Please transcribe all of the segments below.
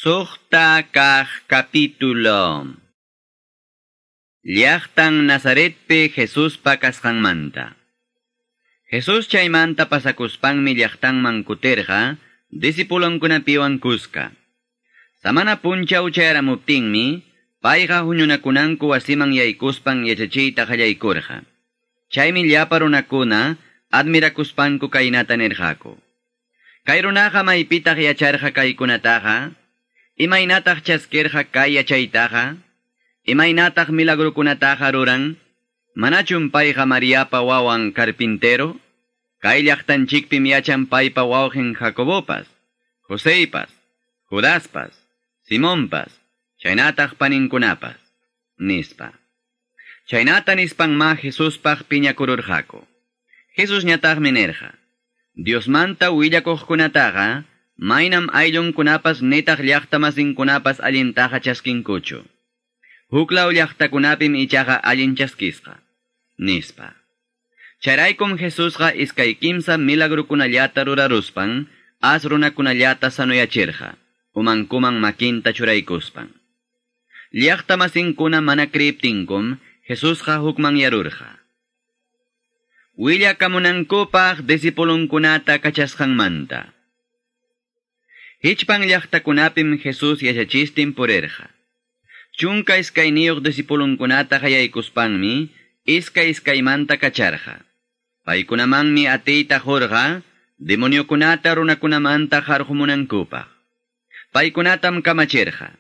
Suqta kaq capítulo. Llaqtan Nazaretpi Jesuspa kasqanmanta. Jesus chaymanta pasakuspanmi llaqtanman kutirqa discipulonkunapiwan kuska. Samana punchaw chayaramuptinmi payqa huñunakunanku wasiman yaykuspan yachachiyta qallaykurqa. Chaymi llapa runakuna admirakuspanku kaynata nirqaku. Kay runaqa maypitaq yacharqa kaykunataqa? Imaynataq chaskirqa kay yachaytaqa? Imaynataq milagrukunataqa ruran? Manachum payqa Mariapa wawan carpintero? Kay llaqtanchikpim yachan paypa wawqin Jacobopas, Joseypas, Judaspas, Simonpas, chaynataq paninkunapas, nispa. Chaynata nispanma Jesuspaq piñakururqaku. Jesusñataqmi nirqa: Diosmanta willakuqkunataqa maynam ayllunkunapas nitaq llaqtamasinkunapas allintaqa chaskinkuchu. Huklaw llaqtakunapim ichaqa allin chaskisqa, nispa. Chayraykum Jesusqa iskay kimsa milagrukunallata ruraruspan, as runakunallata sanuyachirqa, umankuman makinta churaykuspan. Llaqtamasinkuna mana kriyiptinkum, Jesusqa hukmanyarurqa. Willakamunankupaq discipulunkunata kachasqanmanta. Hichpan llaqtakunapim Jesus yachachistin purirqa. 12 discipulunkunata qayaykuspanmi iskay iskaymanta kacharqa. Paykunamanmi atiyta qurqa demoniokunata runakunamanta qarqumunankupaq. Paykunatam kamachirqa: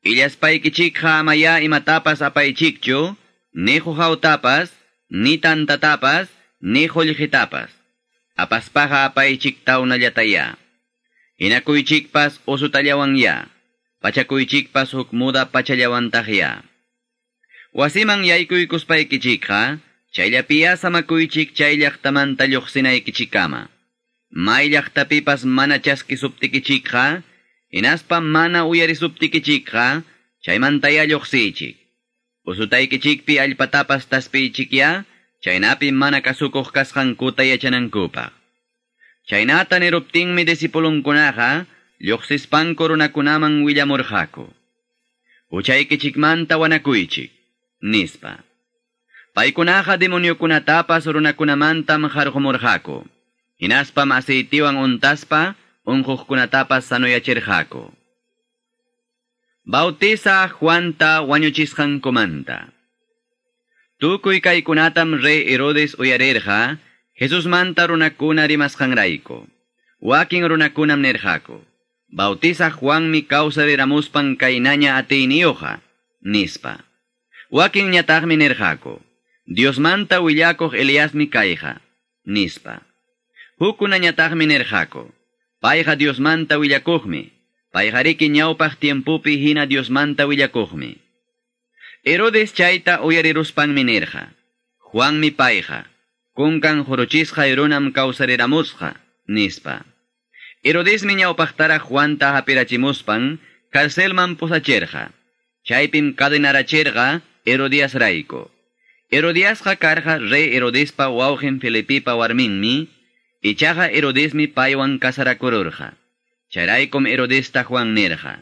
Illaspaykichikqa amaya imatapas apaychikchu, ni quqawtapas, ni tantatapas, ni qullqitapas. Apaspaqa apaychik tawnallataya. Hinakuychikpas usutallawanya, pachakuychikpas huk muda pachallawantaqya. Wasiman yaykuykuspaykichikqa, chayllapiya samakuychik chay llaqtamanta lluqsinaykichikkama. May llaqtapipas mana chaskisuptikichikqa, hinaspa mana uyarisuptikichikqa, chaymantaya lluqsiychik. Usutaykichikpi allpatapas taspiychikya, chaynapi mana kasukuq kasqankuta yachanankupaq. Chaynata niruptinmi discipulunkunaqa lluqsispanku runakunaman willamurqaku: Huchaykichikmanta wanakuychik, nispa. Paykunaqa demoniokunatapas runakunamantam qarqumurqaku. Hinaspam aceitiwan untaspa unquqkunatapas sanuyachirqaku. Bautiza Juanta wañuchisqankumanta. Tukuy kaykunatam rey Herodes uyarirqa Jesusmanta runakuna rimasqanrayku. Wakin runakunam nirqaku: Bautiza Juanmi kawsariramuspan kaynaña atiyniyuqa, nispa. Wakinñataqmi nirqaku: Diosmanta willakuq Eliasmi kayqa, nispa. Hukkunañataqmi nirqaku: Payqa Diosmanta willakuqmi, payqariki ñawpaq tiempupi hina Diosmanta willakuqmi. Herodes chayta uyariruspanmi nirqa: Juanmi payqa, kunkan juruchisqa runam kawsariramusqa, nispa. Herodesmi ñawpaqtaraq Juanta hapirachimuspan carcelman pusachirqa. Chaypim cadenarachirqa Herodiasrayku. Herodiasqa karqa rey Herodespa wawqin Felipipa warminmi, ichaqa Herodesmi paywan kasarakururqa. Chayraykum Herodesta Juan nirqa: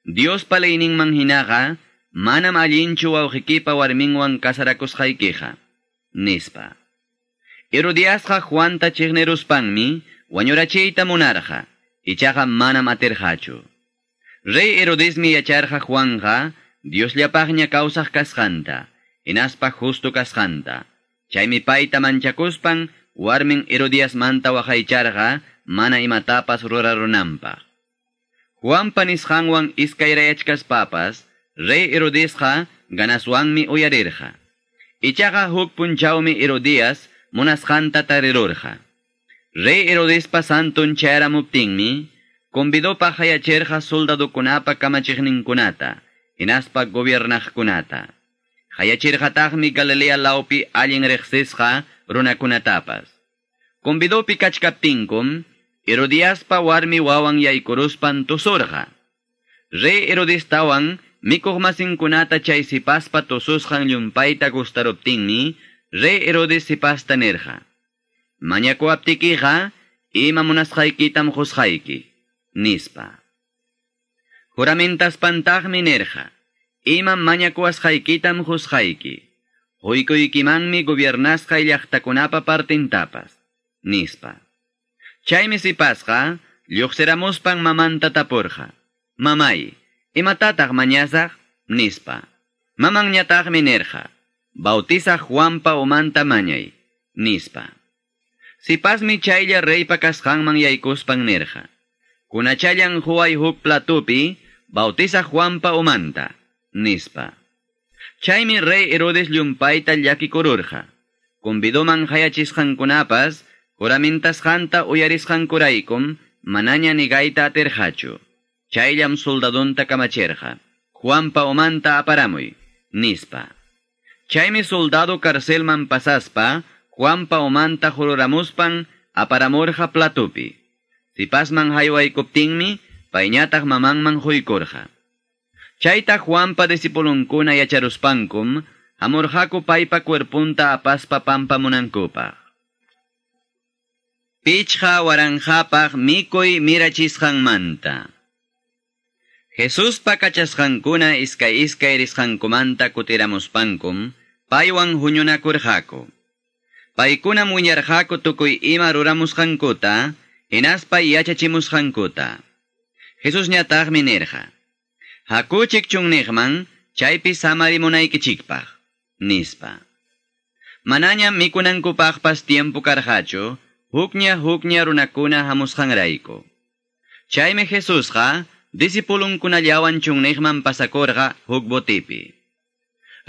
Diospa leyninman hinaqa manam allinchu wawqikipa warminwan kasarakusqaykiqa, nispa. Herodiasqa Juanta chiqniruspanmi wañurachiyta munarqa, ichaqa manam atirqachu. Rey Herodesmi yacharqa Juanqa Diosllapaqña kawsaq kasqanta, hinaspa justo kasqanta. Chaymi payta manchakuspan warmin Herodiasmanta waqaycharqa mana imatapas rurarunanpaq. Juanpa nisqanwan iskayrayachkaspapas, rey Herodesqa ganaswanmi uyarirqa. Ichaqa huk punchawmi Herodias munasqanta tarirurqa. Rey Herodespa santun chayaramuptinmi, convidopaq qayachirqa soldadukunapa kamachiqninkunata, hinaspa gobiernaqkunata. Qayachirqataqmi Galilea lawpi allin riqsisqa runakunatapas. Convidopi kachkaptinkum, Herodiaspa warmi wawan yaykuruspan tusurqa. Rey Herodestawan mikuqmasinkunata chay sipaspa tususqan llumpayta gustaruptinmi, rey Herodes sipasta nirqa: Mañakuwaptikiqa ima munasqaykitam qusqayki, nispa. Juramentaspan-taqmi nirqa: Imam mañakuwasqaykitam qusqayki. Quykuykimanmi gobiernasqay llaqtakunapa partintapas, nispa. Chaymi sipasqa lluqsiramuspan mamanta tapurqa: Mamay, imatataq mañasaq? Nispa. Mamanñataqmi nirqa: Bautizaq Juanpa umanta mañay, nispa. Sipasmi chaylla reypa kasqanman yaykuspan nirqa: Kunachallan huway huk platupi Bautizaq Juanpa umanta, nispa. Chaymi rey Herodes llumpayta llakikururqa. Convidoman hayachisqankunapas juramentasqanta uyarisqankuraykum manaña nigayta atirqachu. Chayllam soldadonta kamachirqa: Juanpa umanta aparamuy, nispa. Chaymi soldado carcelman pasaspa Juanpa umanta jururamuspan aparamurqa platupi. Sipasman haywaykuptinmi payñataq mamanman quykurqa. Chayta Juanpa disipulunkuna yacharuspankum hamurqaku paypa cuerpunta apaspa pampamunankupaq. 5000paq mikuy mirachisqanmanta. Jesuspa kachasqankuna iskay iskay risqankumanta kutiramuspankum paywan huñunakurqaku. Paykunam wiñarqaku tukuy ima ruramusqankuta, hinaspa yachachimusqankuta. Jesusñataqmi nirqa: Hakuchik chunniqman, chaypi samarimunaykichikpaq, nispa. Manañam mikunankupaqpas tiempo karqachu, hukña hukña runakuna hamusqanrayku. Chaymi Jesusqa disipulunkunallawan chunniqman pasakurqa huk botipi.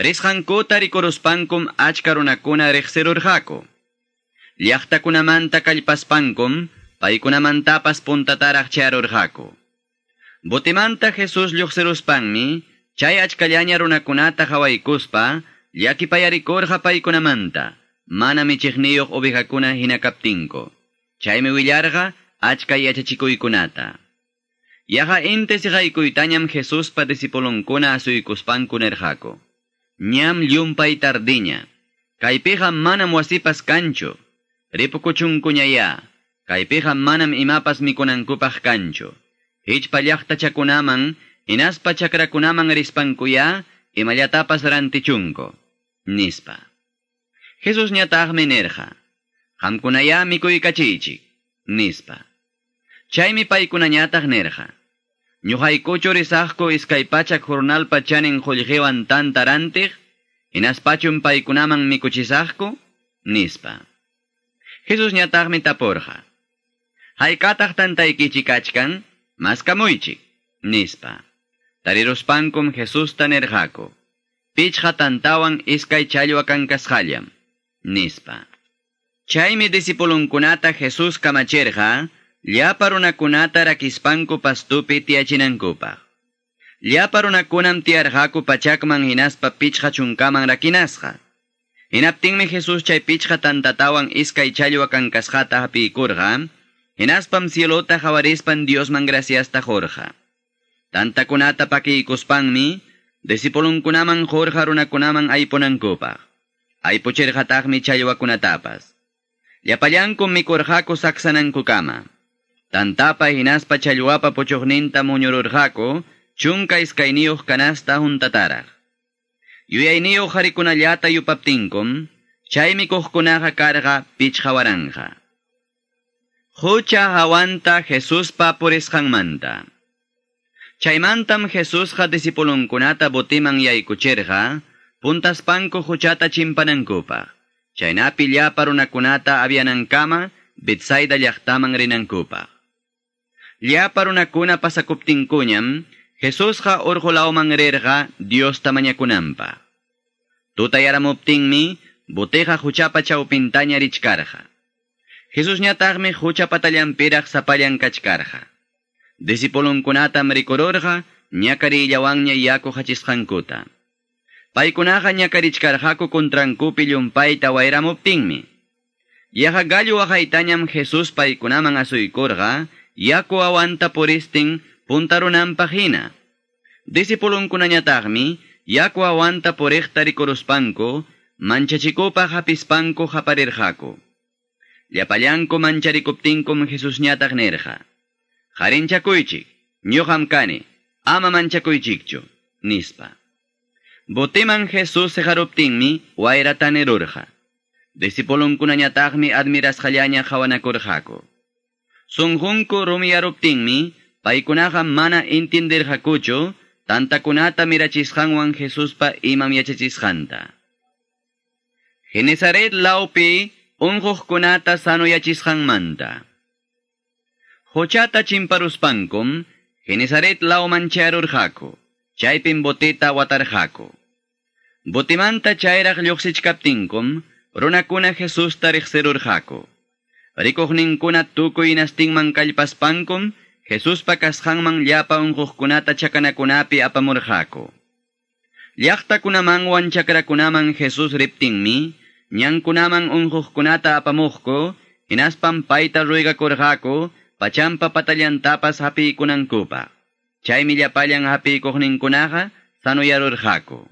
Risqankuta rikuruspankum achka runakuna riqsirurqaku. Llaqtakunamanta kallpaspankum paykunamantapas puntataraq chayarurqaku. Botimanta Jesús lluqsiruspanmi chay achkallaña runakunata hawaykuspa llakipayarikurqa paykunamanta, mana michiqniyuq ovejakuna hina kaptinku. Chaymi willarqa achka yachachikuykunata. Yaqa inti siqaykuytañam Jesuspa disipulunkuna asuykuspanku nirqaku: Ñam llumpay tardiña. Kaypiqa manam wasipas kanchu. Ripukuchunkuñayá. Kaypiqa manam imapas mikunankupaq kanchu. Hichpa llaqtachakunaman, hinaspa chakrakunaman rispankuyá, imallatapas rantichunku, nispa. Jesusñataqmi nirqa: Qamkunayá mikuykachiychik, nispa. Chaymi paykunañataq nirqa: Ñuqaykuchu risaqku 200 jornalpa chanin qullqiwan tanta rantiq, hinaspachum paykunaman mikuchisaqku, nispa. Jesusñataqmi tapurqa: Haykataq tantaykichik kachkan? Maskamuychik, nispa. Tariruspankum Jesusta nirqaku: 5 tantawan 2 challwa kankasqallam, nispa. Chaymi disipulunkunata Jesús kamachirqa llapa runakunata rakispanku pastupi tiyachinankupaq. Llapa runakunam tiyarqaku pachakman hinaspa 50man rakinasqa. Hinaptinmi Jesús chay 5 tantatawan 2 challwa kankasqata hapiykurqa, hinaspam cielota hawarispan Diosman graciasta qurqa. Tantakunata pakiykuspanmi disipulunkunaman qurqa runakunaman aypunankupaq. Aypuchirqataqmi challwakunatapas. Llapallankum mikurqaku saksanankukama. Tantapa hinaspa challwapa puchuqninta muñururqaku 12 canasta huntataraq. Yuyayniyuq qharikunallata yupaptinkum, chay mikuqkunaqa karqa 5000. Hucha hawanta Jesuspa purisqanmanta. Chaymantam Jesusqa disipulunkunata botiman yaykuchirqa, puntaspanku huchata chimpanankupaq. Chaynapi llapa runakunata avianankama Betsaida llaqtaman rinankupaq. Llapa runakuna pasakuptinkuñam, Jesusqa urqulawman rirqa Diosta mañakunanpaq. Tutayaramuptinmi boteqa huchapa chawpintaña richkarqa. Jesusñataqmi hucha patallanpiraq sapallan kachkarqa. Disipulunkunatam rikururqa ñakarillawanña yaku hachisqankuta. Paykunaqa ñakarichkarqaku contrankupi llumpayta wayramuptinmi. Yaqa gallo waqaytañam Jesús paykunaman asuykurqa yaku awanta puristin puntarunanpaq hina. Disipulunkunañataqmi yaku awanta puriqta rikuruspanku manchachikupaq hapispanku haparirqaku. Llapallanku mancharikuptinkum Jesusñataq nirqa: Harinchakuychik, ñuqam kani, Ama manchakuychikchu, nispa. Boteman Jesus seqaruptinmi wayra tanirurqa. Discipulunkunañataqmi admirasqallaña qhawanakurqaku. Sunqunku rumiyaruptinmi paykunaqa mana entienderqakuchu tantakunata mirachisqanwan Jesuspa imam yachachisqanta. Genesaret lawpi unquqkunata sanuyachisqanmanta. Quchata chimparuspankum Genesaret lawman chayarurqaku. Chaypim boteta watarqaku. Botimanta chayraq lluqsichkaptinkum runakuna Jesusta riqsirurqaku. Rikuqninkuna tukuy hinastinman kallpaspankum Jesuspa kasqanman llapa unquqkunata chakanakunapi apamurqaku. Llaqtakunamanwan chakrakunaman Jesús riptinmi, ñankunaman unquqkunata apamuqku, hinaspam payta ruegakurqaku, pachampa patallantapas hapiykunankupaq. Chaymi llapallan hapiykuqninkunaqa sanuyarurqaku.